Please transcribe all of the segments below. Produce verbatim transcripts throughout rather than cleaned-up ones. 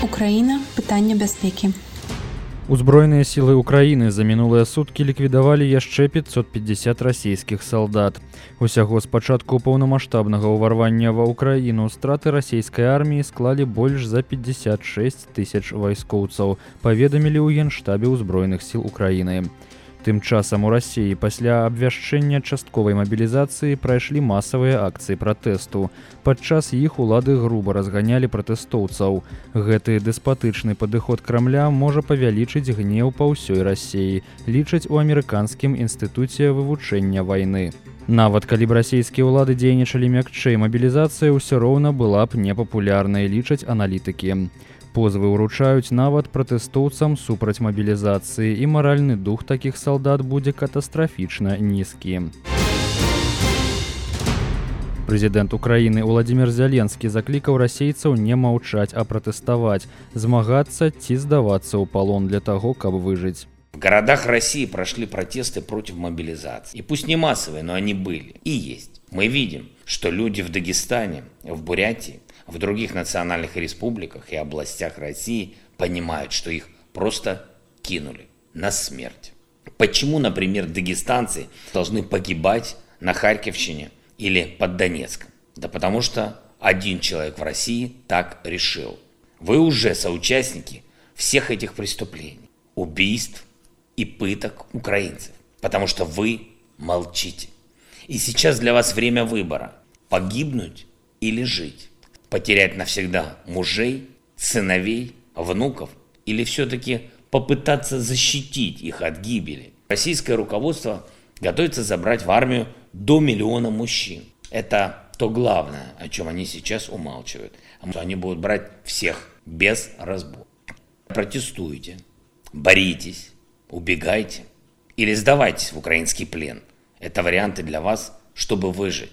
Украіна. Пытанне бяспекі. Узброеныя сілы Украіны за мінулыя суткі ліквідавалі яшчэ пятьсот пятьдесят расійскіх салдат. Усяго з пачатку паўнамаштабнага ўварвання ва Ўкраіну страты расійскай арміі склалі больш за пятьдесят шесть тысяч вайскоўцаў, паведамілі ў Генштабе ўзброеных сіл Украіны. Тым часам у Расіі пасля абвяшчэння частковай мабілізацыі прайшлі масавыя акцыі пратэсту. Падчас іх улады груба разганялі пратэстоўцаў. Гэты дэспатычны падыход Крамля можа павялічыць гнеў па ўсёй Расіі, лічаць у амерыканскім інстытуце вывучэння вайны. Нават калі б расійскія ўлады дзейнічалі мякчэй, мабілізацыя ўсё роўна была б непапулярнай, лічаць аналітыкі. Позвы ўручаюць нават пратэстоўцам супраць мабілізацыі, і маральны дух такіх салдат будзе катастрафічна нізкі. Прэзідэнт Украіны Уладзімір Зеленскі заклікаў расейцаў не маўчаць, а пратэставаць, змагацца ці здавацца ў палон для таго, каб выжыць. В городах России прошли протесты против мобилизации. И пусть не массовые, но они были и есть. Мы видим, что люди в Дагестане, в Бурятии, в других национальных республиках и областях России понимают, что их просто кинули на смерть. Почему, например, дагестанцы должны погибать на Харьковщине или под Донецком? Да потому что один человек в России так решил. Вы уже соучастники всех этих преступлений, убийств и пыток украинцев, потому что вы молчите. И сейчас для вас время выбора – погибнуть или жить. Потерять навсегда мужей, сыновей, внуков или все-таки попытаться защитить их от гибели. Российское руководство готовится забрать в армию до миллиона мужчин. Это то главное, о чем они сейчас умалчивают. Они будут брать всех без разбора. Протестуйте, боритесь, убегайте или сдавайтесь в украинский плен. Это варианты для вас, чтобы выжить.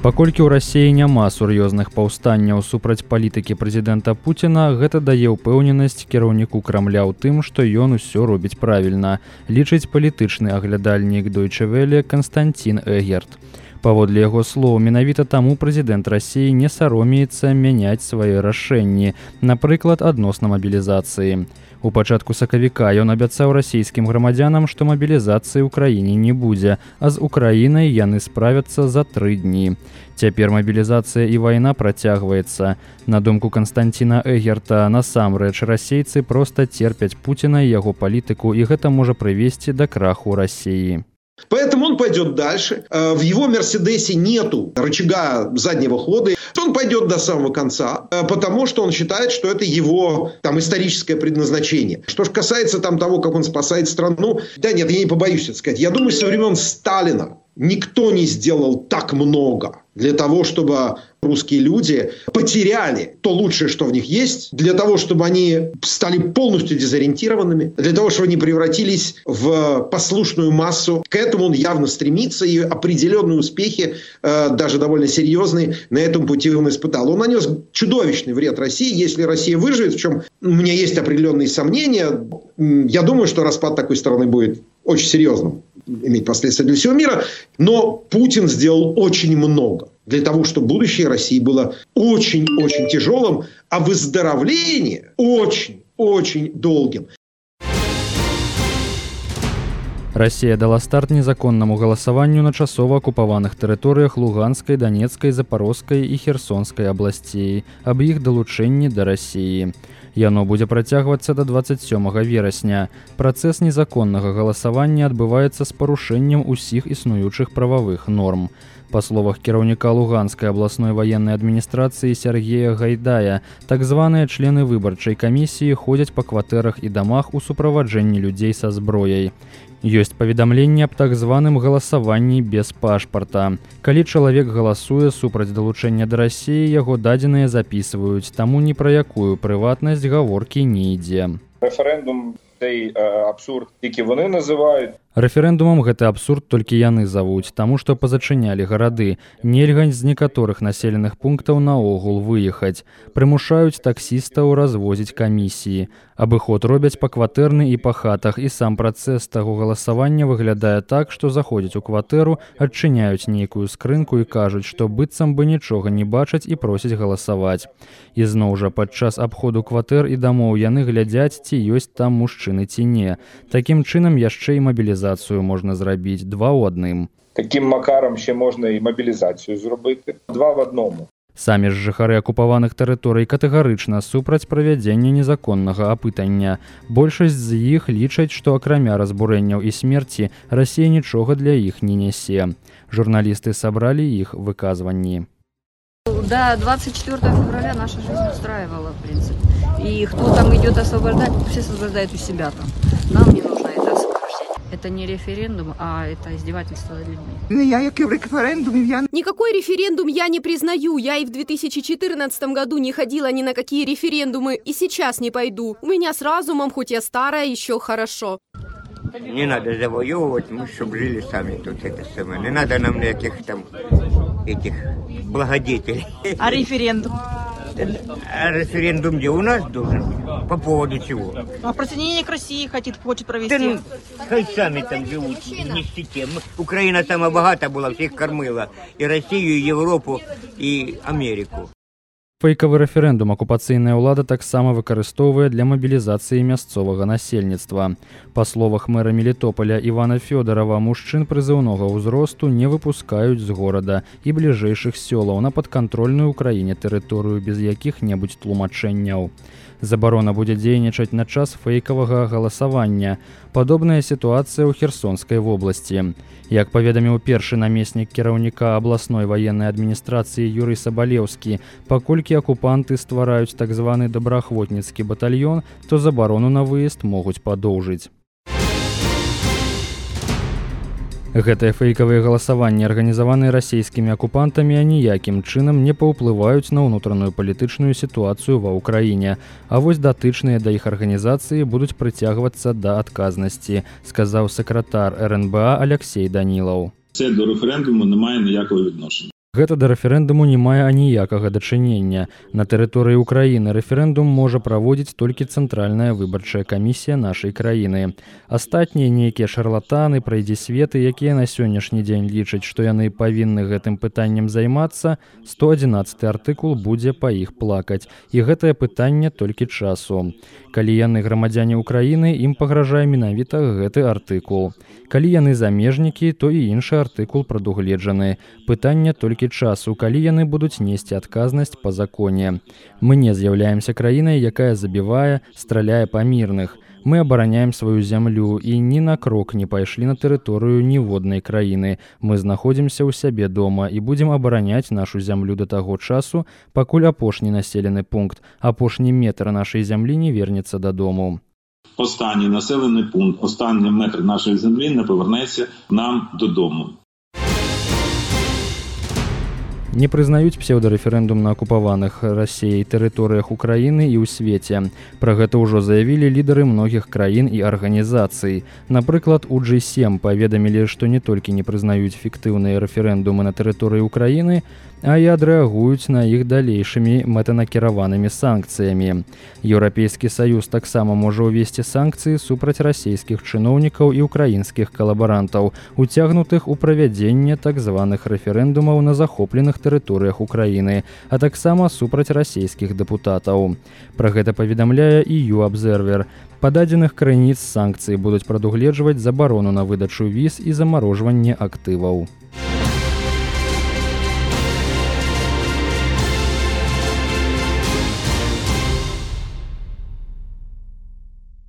Паколькі ў Расіі няма сур'ёзных паўстанняў супраць палітыкі прэзідэнта Пуціна, гэта дае ўпэўненасць кіраўніку Крамля ў тым, што ён усё робіць правільна, лічыць палітычны аглядальнік Deutsche Welle Константин Эгерт. Паводле яго слоў, менавіта таму прэзідэнт Расіі не саромеецца мяняць свае рашэнні, напрыклад, адносна мабілізацыі. У пачатку сакавіка ён абяцаў расійскім грамадзянам, што мабілізацыі ў краіне не будзе, а з Украінай яны справяцца за тры дні. Цяпер мабілізацыя і вайна працягваецца. На думку Константина Эгерта, насамрэч расейцы проста терпяць Пуціна і яго палітыку, і гэта можа прывесці да краху Расіі. Поэтому он пойдет дальше. В его «Мерседесе» нету рычага заднего хода. Он пойдет до самого конца, потому что он считает, что это его там историческое предназначение. Что же касается там того, как он спасает страну, да нет, я не побоюсь это сказать. Я думаю, со времен Сталина никто не сделал так много для того, чтобы русские люди потеряли то лучшее, что в них есть, для того, чтобы они стали полностью дезориентированными, для того, чтобы они превратились в послушную массу. К этому он явно стремится, и определенные успехи, даже довольно серьезные, на этом пути он испытал. Он нанес чудовищный вред России. Если Россия выживет, в чем у меня есть определенные сомнения, я думаю, что распад такой страны будет очень серьезным, иметь последствия для всего мира. Но Путин сделал очень много для того, чтобы будущее России было очень-очень тяжелым, а выздоровление очень-очень долгим. Расія дала старт незаконнаму галасаванню на часова акупаваных тэрыторыях Луганскай, Донецкай, Запорожскай і Херсонскай абласцей аб іх далучэнні да Расіі. Яно будзе працягвацца да дваццаць сёмага верасня. Працэс незаконнага галасавання адбываецца з парушэннем усіх існуючых прававых норм. Па словах кіраўніка Луганскай абласной ваеннай адміністрацыі Сергея Гайдая, так званыя члены выбарчай камісіі ходзяць па кватэрах і дамах у суправаджэнні людзей са зброяй. Ёсць паведамленне аб так званым галасаванні без пашпарта. Калі чалавек галасуе супраць далучэння да Расіі, яго дадзеныя запісваюць, таму ні пра якую прыватнасць гаворкі не ідзе. Референдум цей абсурд, який вони називають. Рэферэндумам гэты абсурд толькі яны завуць, таму што пазачынялі гарады. Нельга з некаторых населеных пунктаў наогул выехаць. Прымушаюць таксістаў развозіць камісіі. Абыход робяць па кватэрны і па хатах, і сам працэс таго галасавання выглядае так, што заходзяць у кватэру, адчыняюць нейкую скрынку і кажуць, што быццам бы нічога не бачаць і просяць галасаваць. І зноў жа падчас абходу кватэр і дамоў яны глядзяць, ці ёсць там мужчыны ці не. Такім чынам яшчэ і мабілізацыю можна зрабіць два ў адным. Таким макаром ще можна і мобілізацію зробити. Два в одному. Самі ж жыхары акупаваных тэрыторый катэгарычна супраць правядзення незаконнага апытання. Большасць з іх лічаць, што акрамя разбурэнняў і смерці Расія нічога для іх не нясе. Журналісты сабралі іх выказванні. До двадцать четвёртого февраля наша жизнь устраивала, в принципе. И кто там идет освобождать, все освобождают у себя там. Нам не нужно это освобождение. Это не референдум, а это издевательство над людьми. Я як и в референдуме, я... Никакой референдум я не признаю. Я и в две тысячи четырнадцатом году не ходила ни на какие референдумы, и сейчас не пойду. У меня с разумом, хоть я старая, еще хорошо. Не надо завоевывать, мы чтобы жили сами тут это самое. Не надо нам никаких там этих благодетелей. А референдум? А референдум где у нас должен быть? По поводу чего? А присоединение к России хотит, хочет провести. Да, ну, хай сами там живут в нищете. Украина сама богата была, всех кормила. И Россию, и Европу, и Америку. Фейкавы рэферэндум акупацыйная ўлада таксама выкарыстоўвае для мабілізацыі мясцовага насельніцтва. Па словах мэра Мелітополя Івана Фёдорова, мужчын прызыўнога ўзросту не выпускаюць з горада і бліжэйшых сёлаў на падкантрольную ўкраіне тэрыторыю без якіх-небудзь тлумачэнняў. Забарона будзе дзейнічаць на час фейкавага галасавання. Падобная сітуацыя ў Херсонскай вобласці. Як паведаміў першы намеснік кіраўніка абласной ваеннай адміністрацыі Юрый Сабалеўскі, паколькі акупанты ствараюць так званы добраахвотніцкі батальён, то забарону на выезд могуць падоўжыць. Гэтыя фейкавыя галасаванні, арганізаваныя расійскімі акупантамі, аніякім чынам не паўплываюць на ўнутраную палітычную сітуацыю ва ўкраіне, а вось датычныя да іх арганізацыі будуць прыцягвацца да адказнасці, сказаў сакратар эр эн бэ а Аляксей Данілаў. Це до референдуму не має ніякого відношення. Гэта да рэферэндуму не мае аніякага дачынення. На тэрыторыі ўкраіны рэферэндум можа праводзіць толькі цэнтральная выбарчая камісія нашай краіны. Астатнія нейкія шарлатаны, прайдзісветы, якія на сённяшні дзень лічаць, што яны павінны гэтым пытаннем займацца, сто адзінаццаты артыкул будзе па іх плакаць. І гэтае пытанне толькі часу. Калі яны грамадзяне ўкраіны, ім пагражае менавіта гэты артыкул. Калі яны замежнікі, то і іншы артыкул прадугледжаны. Пытанне толькі часу, калі яны будуць несці адказнасць па законе. Мы не з'яўляемся краінай, якая забівае, страляе па мірных. Мы абараняем сваю зямлю і ні на крок не пайшлі на тэрыторыю ніводнай краіны. Мы знаходзімся ў сябе дома і будзем абараняць нашу зямлю да таго часу, пакуль апошні населены пункт, апошні метр нашай зямлі не вернецца дадому. Останній населений пункт, останній метр нашої землі не повернеться нам додому. Не прызнаюць псеўдарэферэндум на акупаваных Расіяй тэрыторыях Украіны і ў свеце. Пра гэта ўжо заявілі лідары многіх краін і арганізацый. Напрыклад, у джи сем паведамілі, што не толькі не прызнаюць фіктыўныя рэферэндумы на тэрыторыі Украіны, а і адрэагуюць на іх далейшымі мэтанакіраванымі санкцыямі. Еўрапейскі саюз таксама можа ўвесці санкцыі супраць расійскіх чыноўнікаў і ўкраінскіх калабарантаў, уцягнутых у правядзенне так званых рэферэндумаў на захопленых тэрыторыях Украіны, а таксама супраць расійскіх дэпутатаў. Пра гэта паведамляе і ю-абзервер. Па дадзеных крыніц санкцыі будуць прадугледжваць забарону на выдачу віз і замарожванне актываў.